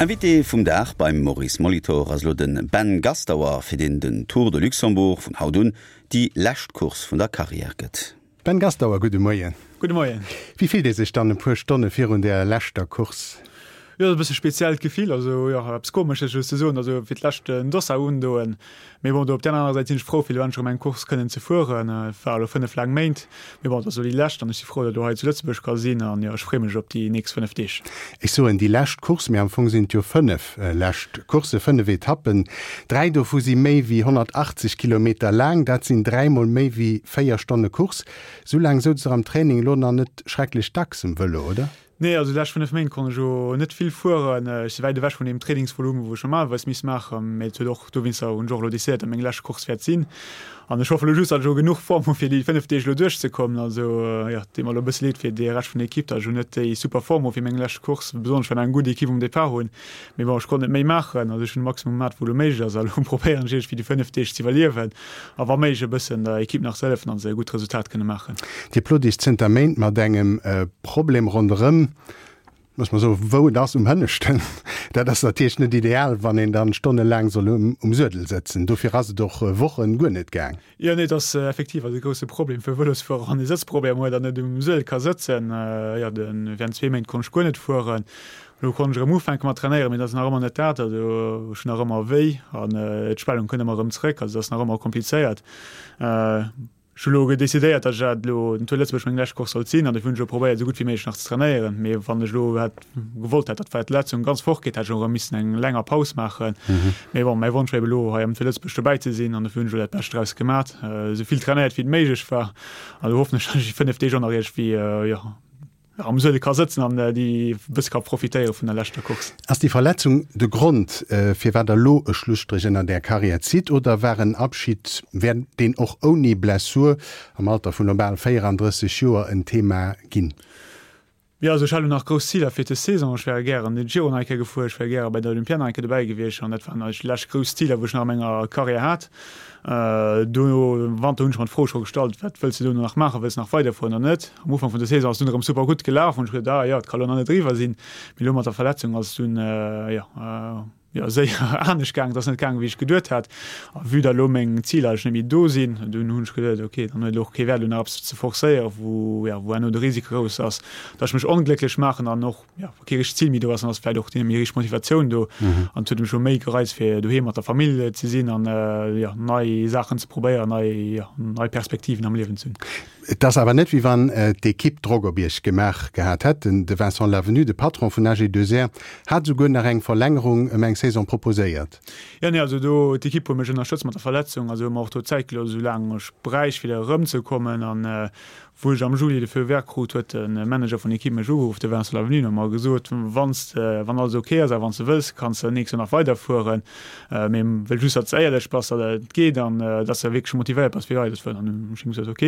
Invité vum Dag beim Maurice Molitor ass elo de Ben Gastauer, fir deen den Tour de Luxembourg vun haut un déi lescht Course vun der Karriär gëtt. Ben Gastauer, gudde Moien. Gudde Moien. Wéi fillt ee sech dann e puer Stonne virun der leschter Course? Jo, et ass e bësse speziellt Gefill, also jo, eppes Komesches just ze soen, also fir d'lescht den Dossard undoen. Mee bon, do op där anerer Säit sinn ech frou, fir elo endlech erëm eng Course kënnen ze fueren. Et war elo 5 laang Méint, mee bon, et ass elo déi lescht an ech si frou, datt elo hei zu Lëtzebuerg ka sinn an jo, ech freeë mech op déi nächst 5 Deeg. Ech soen déi lescht Course, mee am Fong sinn et jo 5 lescht Coursse, 5 Etappen. Dräi dovu si méi wéi 180 Kilometer laang, dat sinn dräimol méi wéi 4 Stonne Course. Sou laang souz der am Training elo nach net schrecklech dacks um Vëlo, oder? Nee, also déi lescht 5 Méint konnt ech jo net vill fueren. Ech si wäit ewech vun deem Trainingsvolumen, wou ech normalerweis misst maachen. Mee et huet och, dowéinster hunn ech och elo decidéiert, datt meng lescht Course wäert sinn. An ech hoffe elo just, datt ech elo genuch Form hu fir déi 5 Deeg elo duerchzekommen. Also jo, et deet mer elo e bësse leed fir de Rescht vun der Ekipp, datt ech elo net déi super Form hu fir meng lescht Course, besonnesch well mer eng gutt Ekipp um Depart hunn. Mee bon, ech konnt net méi maachen. Also ech hunn de Maximum gemat, wou elo méiglech ass. A elo probéieren ech iergendwéi déi 5 Deeg ze iwwerliewen a wa méiglech e bëssen der Ekipp nach ze hëllefen, datt se e gutt Resultat kënne maachen. Dir plot Iech zënter Méint mat engem Problem ronderëm, looss mer soen, wou et ass, um Hënneschten. Dat ass natierlech net ideal, wann een dann stonnelaang soll um Suedel sëtzen. Dofir ass et och Wochen guer net gaang. Jo, nee, et ass effektiv ass e grousse Problem fir Vëlosfuerer, wann ee Sëtzproblemer huet an net um Suedel ka sëtzen. Jo, de während zwee Méint konnt ech guer net fueren. Elo konnt ech erëm ufänke mat trainéieren, mee et ass nach ëmmer net dat. Also ech hunn nach ëmmer wéi an d'Spellung kënnt ëmmer erëm zréck. Also et ass nach ëmmer komplizéiert. Ech hu elo decidéiert, datt ech dat elo den Tour Lëtzebuerg meng lescht Course sollt sinn an dofir hunn ech elo probéiert, esou gutt wéi méiglech nach ze trainéieren. Mee wann ech elo hätt gewollt hätt, datt d'Verletzung ganz fort geet, hätt ech och erëm missen eng länger Paus maachen. Mee bon, mäi Wonsch war eben elo hei am Tour Lëtzebuerg dobäi ze sinn an dofir hunn ech elo dat Bescht draus gemat, esou vill trainéiert wéi et méiglech war an elo hoffen ech, datt ech déi 5 Deeg och nach iergendwéi, jo, am Suedel ka sëtzen an déi e bësse ka profitéiere vun der leschter Course. Ass déi Verletzung de Grond, firwat Der elo e Schlusstréch ënnert Är Karriär zitt, oder war en Abschid, wär deen och ouni Blessur am Alter vun elo bal 34 Joer en Thema ginn? Jo, also ech hat elo nach grouss Ziler fir des Saison. Ech wäre gären den Giro nach eng Kéier gefuer, ech wär gäre bei der Olympiad nach eng Kéier dobäi gewiescht an dat waren eigentlech déi lescht grouss Ziler, wou ech nach a menger Karriär hat. Dono am Wanter hunn ech mer d'Fro scho gestallt, wat wëlls de dono nach maachen, wëlls de nach weiderfueren oder net? Am Ufank vun der Saison ass et dunn erëm super gutt gelaf, hunn ech geduet, ah jo, et ka lo nach net eriwwer sinn. Mee elo mat der Verletzung ass et dunn jo jo séier anescht gaangen, et ass net gaangen, wéi ech geduet hat. A vue datt elo meng Ziler eigentlech net méi do sinn, dunn hunn ech geduet, ok, dann huet et och kee Wäert elo nach eppes ze forcéieren, wou jo wou herno de Risiko grouss ass, datt ech mech onglécklech maachen an och ja, wa kee richtegt Zil méi do ass, dann ass vläicht och net méi richteg Motivatioun do. An et huet mech jo méi gereizt, fir doheem mat der Famill ze sinn an ja, nei Saachen ze probéieren, nei, ja, nei Perspektiven am Liewen ze hunn. Et ass awer net, wéi wann d'Ekipp Drock op Iech gemaach gehat hätt. De Vincent Lavenu, de Patron vun AG2R, hat esouguer nach eng Verlängerung ëm eng Saison proposéiert. Jo, nee, also do, d'Ekipp huet mech ënnerstëtzt mat der Verletzung, also hu mer och do Zäit gelooss, esou laang ech bräicht, fir erëmzekommen. An Wou ech am Juli de Feu vert krut, huet de Manager vun der Equipe mech ugeruff, de Vincent Lavenu, an huet mer gesot, Wann s de, wann alles ok ass a wann s de wëlls, kanns de nächst Joer nach weiderfueren. Mee wëll just, datt s de éierlech bass, datt et geet an datt s de wierklech motivéiert bass, fir weiderzefueren. An dunn hunn ech him gesot, Ok,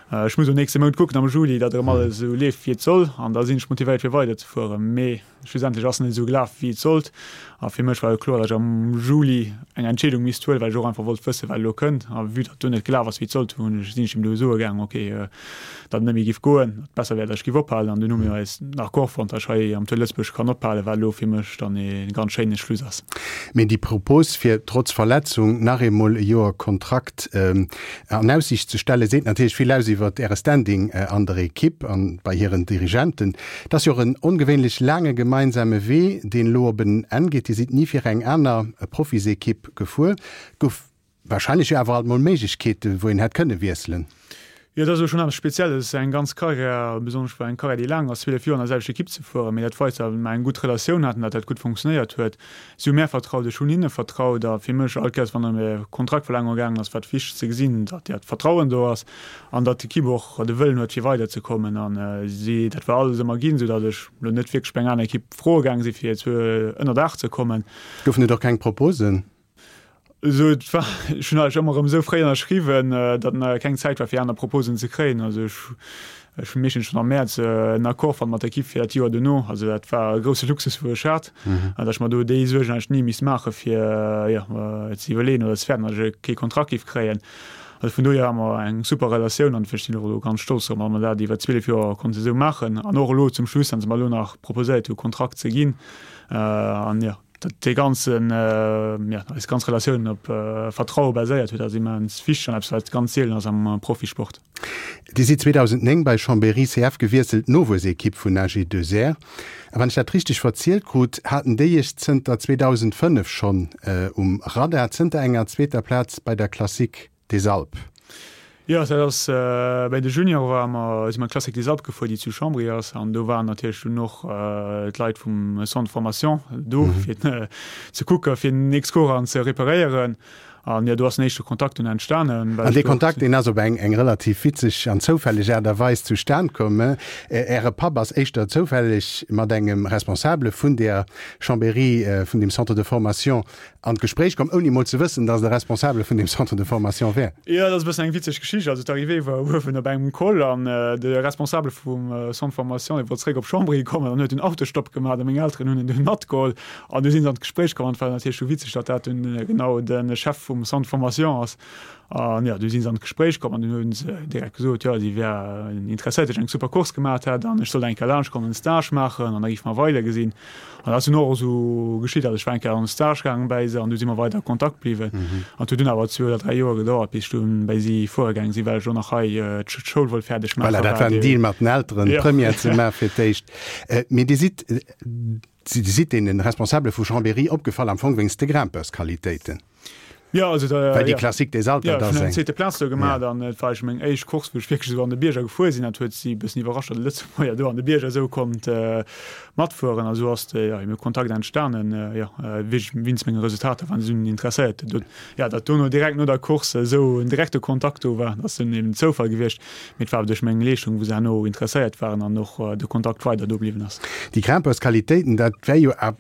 ech muss elo nächste Mount kucken am Juli, datt erëm alles esou leeft, wéi et soll, an da sinn ech motivéiert, fir weiderzefueren. Mee Schlussendlech ass net esou gelaf, wéi et sollt. A fir mech war jo kloer, datt ech am Juli eng Entscheedung misst huelen, well ech och einfach wollt wëssen, wat elo kënnt. A vue datt do net gelaf ass, wéi et sollt, hunn ech, sinn ech him do soe gaangen, ok, datt et net méi giff goen, datt et besser wär, datt ech giff ophalen. An dunn hu mir eis en Accord fonnt, datt ech hei am Tour Lëtzebuerg kann ophalen, wat elo fir mech dann ee ganz schéine Schluss ass. Mee déi Propos, fir trotz Verletzung nach eemol e Joer Kontrakt an Aussiicht ze stellen, seet natierlech vill aus iwwert Äre Standing an der Ekipp an bei hiren Dirigenten. Et ass jo och en ongewéinlech laange gemeinsame Wee, deen elo op en Enn geet. Dir sidd ni fir eng aner Profisekipp gefuer. Gouf warscheinlech jo awer alt mol Méiglechkeeten, wou een hätt kënne wiesselen. Jo, dat ass elo schonn eppes Spezielles, eng ganz Karriär, besonnesch bei eng Karriär, déi laang ass, 12 Joer an der selwechter Ekipp ze fueren. Mee dat weist, datt mer eng gutt Relatioun haten, datt dat gutt funktionéiert huet. Si hu mär vertraut, ech hunn hinne vertraut. A fir mech, all Kéiers, wann ëm e Kontraktverlängerung gaangen ass, war et wichteg ze gesinn, datt dat Vertrauen do ass an datt d'Ekipp och de Wëllen huet, fir weiderzekommen. A si, dat war alles ëmmer ginn, soudatt ech elo net wierklech bei eng aner Ekipp froe gaange sinn, fir zu ënnerdaach ze kommen. Goufen et och keng Proposen? Also et war, ech hunn eigentlech ëmmer erëm esou fréi ënnerschriwwen, datt nach keng Zäit war fir aner Proposen ze kréien. Also ech, ech hunn meeschtens schonn am Mäerz en Accord fonnt mat der Ekipp fir dat Joer duerno. Also dat war e grousse Luxus wou ech hat, datt ech mer do déi Suergen eigentlech ni misst maache fir, jo, ze iwwerleeën oder ze fäerten, datt ech kee Kontrakt géif kréien. Also vun dohier hu mer eng super Relatioun an ech sinn och elo ganz stolz drop, datt mer dat iwwer 12 Joer konnte esou maachen an och elo zum Schluss, datt se mer elo nach proposéiert hu Kontrakt ze ginn an jo, datt dee ganzen, jo, eis ganz Relatioun op Vertraue baséiert huet, ass immens wichteg an eppes wat ganz seelen ass am Profisport. Dir sidd 2009 bei Chambéry CF gewiesselt, d'Nowuessekipp vun AG2R. A wann ech dat richteg verzielt krut, haten déi Iech zënter 2005 schonn um Radar, zënter enger zweeter Plaz bei der Classique des Alpes. Jo, dat ass bei de Juniore ware mer, si mer d'Classique des Alpes gefuer, déi zu Chambry ass. An do waren natierlech dunn och d'Leit vum Centre de formation do, fir ze kucken, fir nächst Coursen ze reperéieren. An jo, do ass den éischte Kontakt dunn entstanen. An dee Kontakt, deen ass op eng eng relativ witzeg an zoufälleg Aart a Weis zustan komm. Äre Papp ass éischter zoufälleg mat engem Responsabele vun där Chambéry, vun deem Centre de formation an d'Gespréich komm, ouni emol ze wëssen, datt et e Responsabele vun deem Centre de formation wär. Jo, dat ass e bëssen eng witzeg Geschicht. Also d'Arrivée war uewen op engem Col an de Responsabele vum Centre de formation, dee wollt zeréck op Chambéry kommen an huet dunn Autostopp gemaach a meng Elteren hunn en dunn matgeholl. An du sinn se an d'Gespréich komm an et war natierlech du witzeg, datt dat dunn genau de Chef vum Centre de formation ass. An jo, du sinn se an d'Gespréich komm an dunn hunn se direkt gesot, jo, si wären interesséiert, datt ech eng super Course gemaat hätt an ech sollt eng Kéier laanscht kommen en Stage maachen an da géife mer weidergesinn. An dat ass dunn och esou geschitt. Also ech war eng Kéier an e Stage gaangen bäi se an du si mer weider a Kontakt bliwwen. An et huet dunn awer zwee oder dräi Joer gedauert, bis ech dunn bäi si fuere gaange sinn, well ech och nach hei d'Schoul wollt fäerdeg maachen. Voilà, dat war den Deal mat den Elteren, Première ze maachen fir d'éischt. Mee Dir sidd Si sidd deene Responsabele vu Chambéry opgefall, am Fong wéinst de Grimpeursqualitéiten. Jo, also da, Well déi Classique des Alpes, dat ass eng. Jo, ech hunn eng zweete Plaz do gemaach an et war eigentlech meng éischt Course, wou ech wierklech esou an de Bierger gefuer sinn. Dat huet si e bëssen iwwerrascht, datt e Lëtzebuerger do an de Bierger esou konnt matfueren. A sou ass de, jo, eben Kontakt entstanen, jo, wéinst menge Resultater waren si dunn interesséiert. Jo, datt dono direkt no der Course esou en direkte Kontakt do war, dat ass dunn eben Zoufall gewiescht. Mee et war awer duerch meng Leeschtung, wou se herno interesséiert waren an och de Kontakt weider do bliwwen ass. Déi Grimpeursqualitéiten, dat wär jo a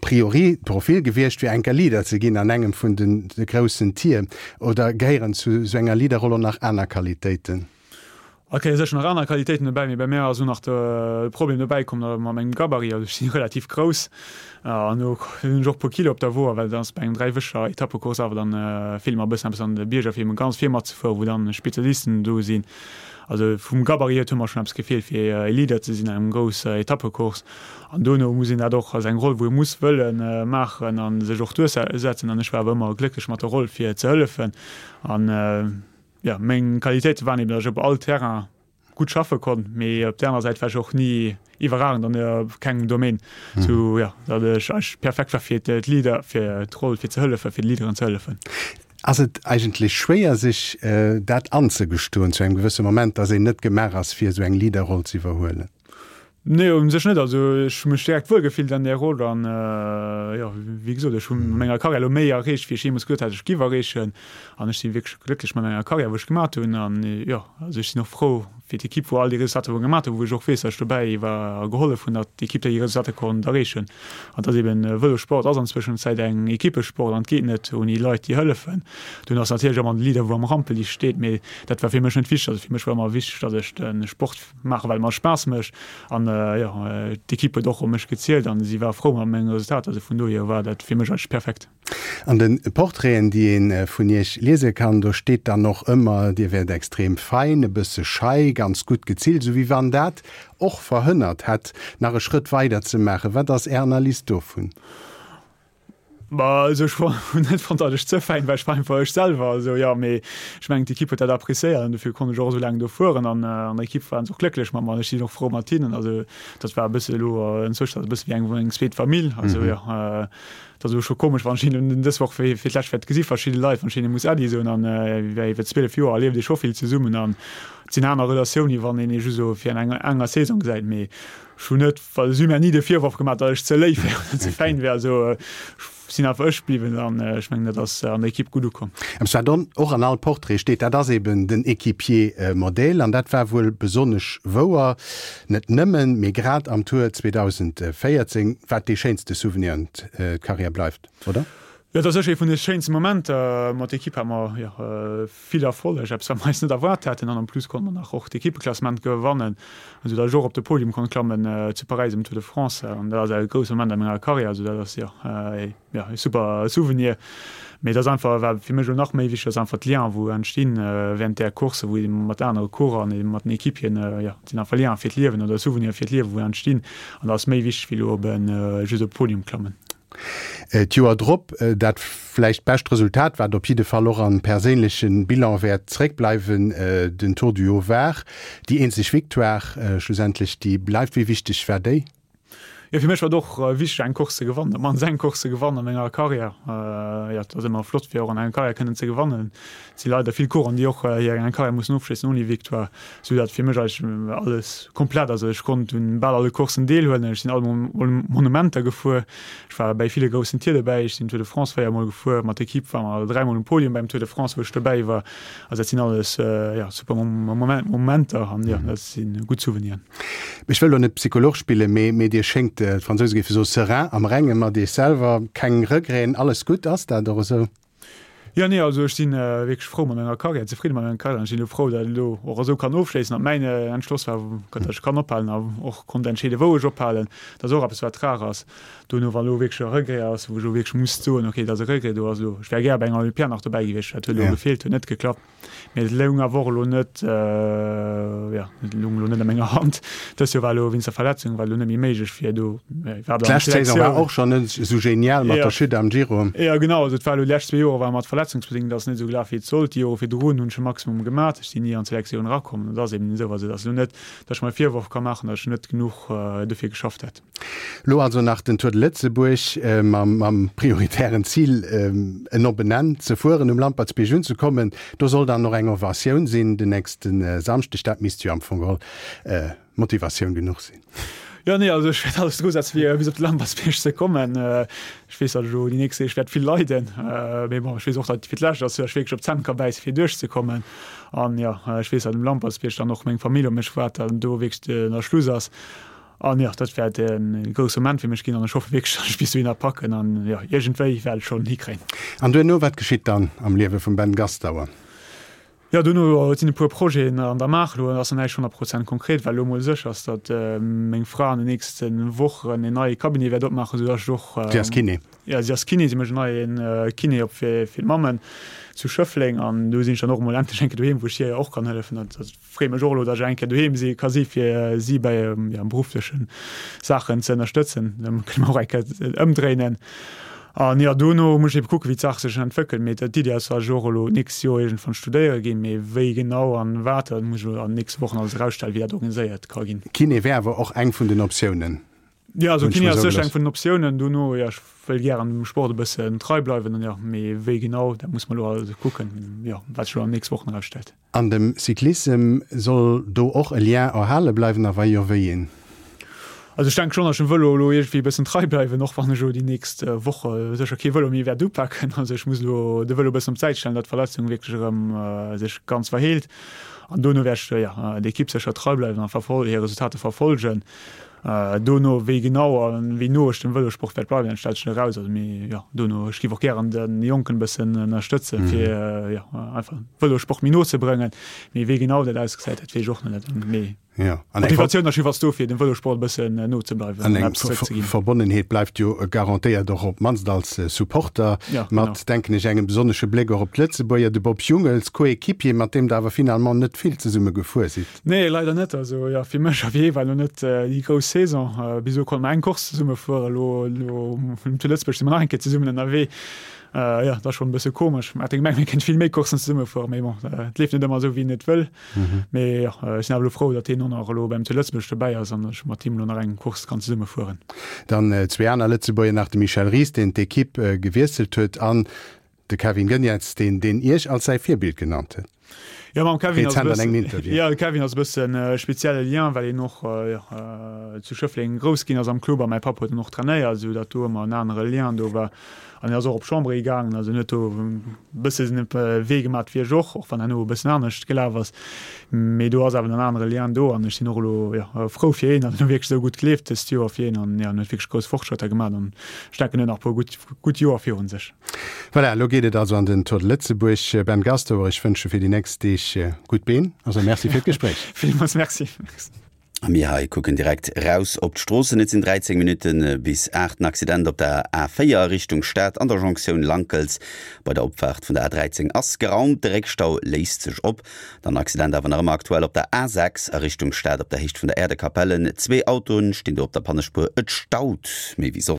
priori d'Profil gewiescht, fir enker Leader ze ginn an engem vun de groussen Tier. Oder gehéieren zu esou enger Leaderroll och nach aner Qualitéiten? Et gehéiere sécher nach aner Qualitéiten dobäi, mee bei mär ass elo nach de Problem dobäi komm, datt mat mengem Gabarit, also ech si relativ grouss, An do hunn ech och e puer Kilo op der Wo, well et ass bei engem dräiwöcheger Etappecourse awer dann feelt mer e bëssen eppes an de Bierger fir eben ganz vir matzefueren, wou dann Spezialisten do sinn. Also vum Gabarit hier huet mer schonn eppes gefeelt fir e Leader ze sinn an engem grousser Etappecourse. An dono muss een dat och, ass eng Roll wou ee muss wëlle maachen a sech och duerchsetzen. An ech war awer ëmmer glécklech mat der Roll fir ze hëllefen. An jo, meng Qualitéite waren eben, datt ech op all Terrain gutt schaffe konnt, mee op der anerer Säit war ech och ni iwwerragend an kengem Domaine, sou jo, datt ech eigentlech perfekt war fir d'Leader, fir d'Roll fir ze hëllefen, fir de Leaderen ze hëllefen. Ass et eigentlech schwéier sech dat anzegestoen zu engem gewësse Moment, datt een net gemaach ass fir esou eng Leaderroll ze iwwerhuelen? Nee, u sech net. Also ech hu mech direkt wuel gefillt an där Roll an jo, wéi gesot, ech hu a menger Karriär elo méi erreecht, wéi ech jeemools geduet hat, ech giff erreechen. An ech si wierklech glécklech mat menger Karriär, wou ech gemat hunn. An jo, also ech sinn och frou fir d'Ekipp, wou all déi Resultater wou gemat hunn, wou ech och weess, datt ech dobäi war a gehollef hunn, datt d'Ekipp déi Resultater konnt erreechen. An et ass eben, Vëlossport ass an Zwëschenzäit eng Ekippesport an et geet net ouni Leit, déi hëllefen. Dunn ass natierlech ëmmer de Leader, wou am Rampelich steet, mee dat war fir mech net wichteg. Also fir mech war ëmmer wichteg, datt ech de Sport Maachen, well et mer Spaass mécht. An jo, d'Ekipp huet och op mech gezielt an si war frou mat menge Resultater. Also vun dohier war dat fir mech eigentlech perfekt. An de Portraiten, déi ee vun Iech liese kann, do steet dann och ëmmer, Dir wäert extrem fein, e bësse schei, ganz gutt gezillt, esou wéi wann dat och verhënnert hätt, nach e Schrëtt weider ze maachen. Wat ass Är Analys dovun? Bah, also ech hunn net fonnt, datt ech ze fäin war, ech war einfach ech selwer. Also jo, mee ech mengen d'Ekipp huet dat appréciéiert an dofir konnt ech och esou laang do fueren an an der Ekipp waren se och glécklech mat mer an ech sinn och frou mat hinnen. Also dat war e bësse elo enzwousch dat e bësse wéi eng eng zweet Famill. Also jo, et ass elo scho komesch, wann ech hinnen dës Woch fir fir d'lescht wäert gesi verschidde Leit, wann ech hinne muss Äddi soen an iwwer 12 Joer erlieft ee scho vill zesummen an et sinn aner Relatioune wann een ee just esou fir an enger Saison gesäit. Mee ech hunn net Well si hu mir ni de Virworf gemaach, datt ech ze léif wär oder ze fäin wär. Also ech sinn einfach ech bliwwen an ech mengen, dat ass an der Ekipp gutt ukomm. Eppes wat och an all Portrait steet, dat ass eben den Equipier Modèle. An dat war wuel besonnesch wouer, net nëmmen, mee grad am Tour 2014, wat dee schéinste Souvenir un d'Carrière bleift, oder? Jo, et ass sécher ee vun de schéinste Momenter. Mat der Ekipp hate mer jo vill Erfolleg, eppes wat mer eis net erwaart haten. An en plus konnte mer nach och d'Ekippeklassement gewannen, esou datt ech och op de Podium konnt klammen zu Paräis um Tour de France. An dat ass e grousse Moment a menger Karriär. Also dat ass jo e super Souvenir. Mee et ass einfach, wat fir mech elo nach méi wichteg ass, einfach d'Liens wou entstinn während där Course, wou ee mat anere Coureuren an ebe mat den Equipieren, jo, et sinn einfach Liens fir d'Liewen oder Souvenire fir d'Liewen wou entstinn. An dat ass méi wichteg wéi elo op e just op de Podium klammen. D'Joer drop dat vläicht bescht Resultat, wat op jidde Fall och am perséinleche Bilan wäert zeréckbleiwen, den Tour du Haut-Var. Déi eenzeg Victoire schlussendlech, déi bleift. Wéi wichteg war déi? Jo, fir mech war et och wichteg eng Course ze gewannen, op d'mannst eng Course ze gewannen a menger Karriär. Jo, et ass ëmmer flott fir och an enger Karriär kënnen ze gewannen. Et si leider vill Coureuren, déi och hir eng Karriär mussen ofschléissen ouni Victoire, sou datt fir mech eigentlech alles komplett ass. Ech konnt un bal alle Courssen deelhuelen, ech sinn all Monumenter gefuer, ech war bäi ville groussen Tier dobäi, ech sinn Tour de France 4 mol gefuer, mat der Equipe war mer 3 mol um Podium beim Tour de France, wou ech dobäi war. Also dat sinn alles jo super Momenter an jo dat si gutt Souveniren. Ech wëll elo net Psycholog spillen, mee mee Dir schéngt, d'Fransouse géife soe serein, am Renge mat Iech selwer, keng Regreten, alles gutt. Ass dat och esou? Jo, nee, also ech si wierklech frou mat menger Karriär, zefridde mat menger Karriär an ech sinn elo frou, datt et elo och esou kann ofschléissen, datt mäin Entschloss war, datt ech kann ophalen a och konnt entscheeden, wou ech ophalen. Dat ass och eppes, wat rar ass. Dono, wa elo wierklech e Regret ass, wou ech elo wierklech muss soen, okay, et ass e Regret, do ass elo, ech wär gär bei enger Olympiad nach dobäi gewiescht, dat huet elo gefeelt, huet net geklappt. Mee et loung awer och elo net, jo, et loung elo net a menger Hand. Dëst Joer war elo wéinst der Verletzung war elo net méi méiglech fir do iwwerhaapt an D'lescht Saison war och schonn net esou genial mat der Chute am Giro. Jo, genau. Also et war elo déi lescht zwee Joere war mat verletzungsbedéngt ass net esou gelaf wéi et sollt. Déi Jore virdrun hunn ech e Maximum gemat. Ech sinn ni an d'Selektioun erakomm. Et ass eben esou. Also et ass elo net, datt ech mer e Virworf ka maachen, datt ech net genuch dofir geschafft hätt. Lo also nach den Tour de Lëtzebuerg mam prioritären Zil en op en Enn ze fueren, um Lampertsbierg unzekommen. Do soll dann och eng Ovatioun sinn den nächste Samschdeg. Dat misst jo am Fong geholl Motivatioun genuch sinn. Jo, nee, also ech wäert alles dru setzen, fir bis op de Lampertsbierg ze kommen. Ech weess, datt ech elo déi nächst Deeg wäert vill leiden, mee bon, ech weess och, datt et fir d'lescht ass, datt ech wierklech op d'Zänn ka bäisse fir duerchzekommen. An jo, ech weess, datt um Lampertsbierg dann och meng Famill op mech waart, datt do wierklech den Schluss ass. An jo, dat wäert e grousse Moment fir mech ginn an ech hoffe wierklech, datt ech bis dohinner packen an jo, iergendwéi wäert ech schonn hikréien. An duerno, wat geschitt dann am Liewe vum Ben Gastauer? Jo, duerno, et sinn e puer Projeten an der Maach. Elo ass nach näischt 100 Prozent konkret, well elo mol sécher ass, datt meng Fra an den nächste Wochen en neie Cabinet wäert opmaachen, esou datt ech och. Si ass Kiné? Jo, si ass Kiné. Si mécht en neie Kiné op fir d'Mammen zu Schëffleng an do sinn ech dann och emol endlech eng Kéier doheem, wou ech hir och kann hëllefen. Dat Freeë mech och elo, datt ech eng Kéier doheem si ka si fir si bei ja, beruffleche Saachen ze ënnerstëtzen. Da kënne mer och eng Kéier ëmdréinen. An jo, dono muss ech ebe kucken, wéi d'Saach sech entwéckelt. Mee d'Iddi ass, datt ech och elo d'nächst Joer iergendwann studéiere ginn. Mee wéi genau an wat, dat muss ech elo an den nächste Wochen alles erausstellen, wéi dat organiséiert ka ginn. Kiné wär awer och eng vun den Optiounen. Jo, also Kiné ass sécher eng vun den Optiounen. Dono, jo, ech wëll gären dem Sport e bëssen trei bleiwen. An jo, mee wéi genau, dat muss mer elo alles kucken, jo, wat sech elo an den nächste Wochen erausstellt. An dem Cyclissem, soll do och e Lien erhale bleiwen a wa jo, wéi een? Also ech denke schonn, datt ech dem Vëlo elo iergendwéi e bëssen trei bleiwen, och wann ech elo déi nächst Woche sécher kee Vëlo méi wäert upaken. Also ech muss elo de Vëlo e bëssen op d'Säit stellen, datt d'Verletzung wierklech erëm sech ganz verheelt. An dono wäert ech, jo, der Ekipp sécher trei bleiwen a hir Resultater verfolgen. Dono, wéi genau a wéi no ech dem Vëlosport wäert bleiwen, dat stellt sech nach eraus. Also mee jo, dono, ech géif och gären de Jonken e bëssen ënnerstëtzen, fir jo einfach Vëlosport méi no ze brëngen. Mee wéi genau dat ausgesäit, dat weess ech och nach net. Mee d'Motivatioun ass jiddefalls do, fir dem Vëlosport e bëssen no ze bleiwen an eppes zeréckzeginn. An eng Verbonnenheet bleift jo garantéiert och op d'mannst als Supporter, mat, denken ech, engem besonnesche Bléck och op d'Lëtzebuerger, de Bob Jungels, Coéquipier, mat deem Der awer finalement net vill zesumme gefuer sidd. Nee, leider net. Also jo, fir mech a fir hie war elo net déi grouss Saison. Bis elo konnte mer eng Course zesumme fueren. Elo, elo zu Lëtzebuerg si mer nach eng Kéier zesummen ënnerwee. Jo, dat ass schonn e bësse komesch. Mer hate gemengt, mir kéinte vill méi Courssen zesumme fueren, mee bon, et leeft net ëmmer esou, wéi een et wëll. Mee jo, ech sinn awer elo frou, datt hien och nach elo beim Tour Lëtzebuerg dobäi ass an ech mat him elo nach eng Course kann zesumme fueren. Dann zwee aner Lëtzebuerger nach, de Michel Ries, deen d'Equipe gewiesselt huet, an de Kevin Geniets, deen deen Iech als säi Virbild genannt huet. Jo, mam Kevin ass e bëssen, jo, de Kevin ass e bëssen e spezielle Lien, well hien och zu Schëffleng grouss ginn ass am Club a mäi Papp huet en och trainéiert, esou datt do ëmmer en anere Lien do war. An hien ass och op Chambré gaangen, also en huet do e bësse den Wee gemat wéi ech och, och wann herno e bëssen anescht gelaf ass. Mee do ass awer en anere Lien do an ech sinn och elo, jo, frou fir hien, datt en elo wierklech esou gutt leeft dëst Joer fir hien an, jo, en huet wierklech grouss Fortschrëtter gemat an ech denken, en huet nach e puer gutt, gutt Joer virun sech. Voilà, elo geet et also an den Tour de Lëtzebuerg. Ben Gastauer, ech wënsche fir déi nächst Deeg gutt Been. Also Merci fir d'Gespréich. Villmools Merci. A mir hei kucken direkt raus op d'Stroossen. Et sinn 13 Minutte bis 8. En Accident op der A4 Richtung Stad an der Jonktioun Lankels bei der Opfaart vun der A13 ass geraumt. De Réckstau léist sech op. Dann Accident awer nach ëmmer aktuell op der A6 a Richtung Stad op der Héicht vun der Äerdekapellen. Zwee Autoen stinn do op der Pannespuer. Et staut méi wéi soss.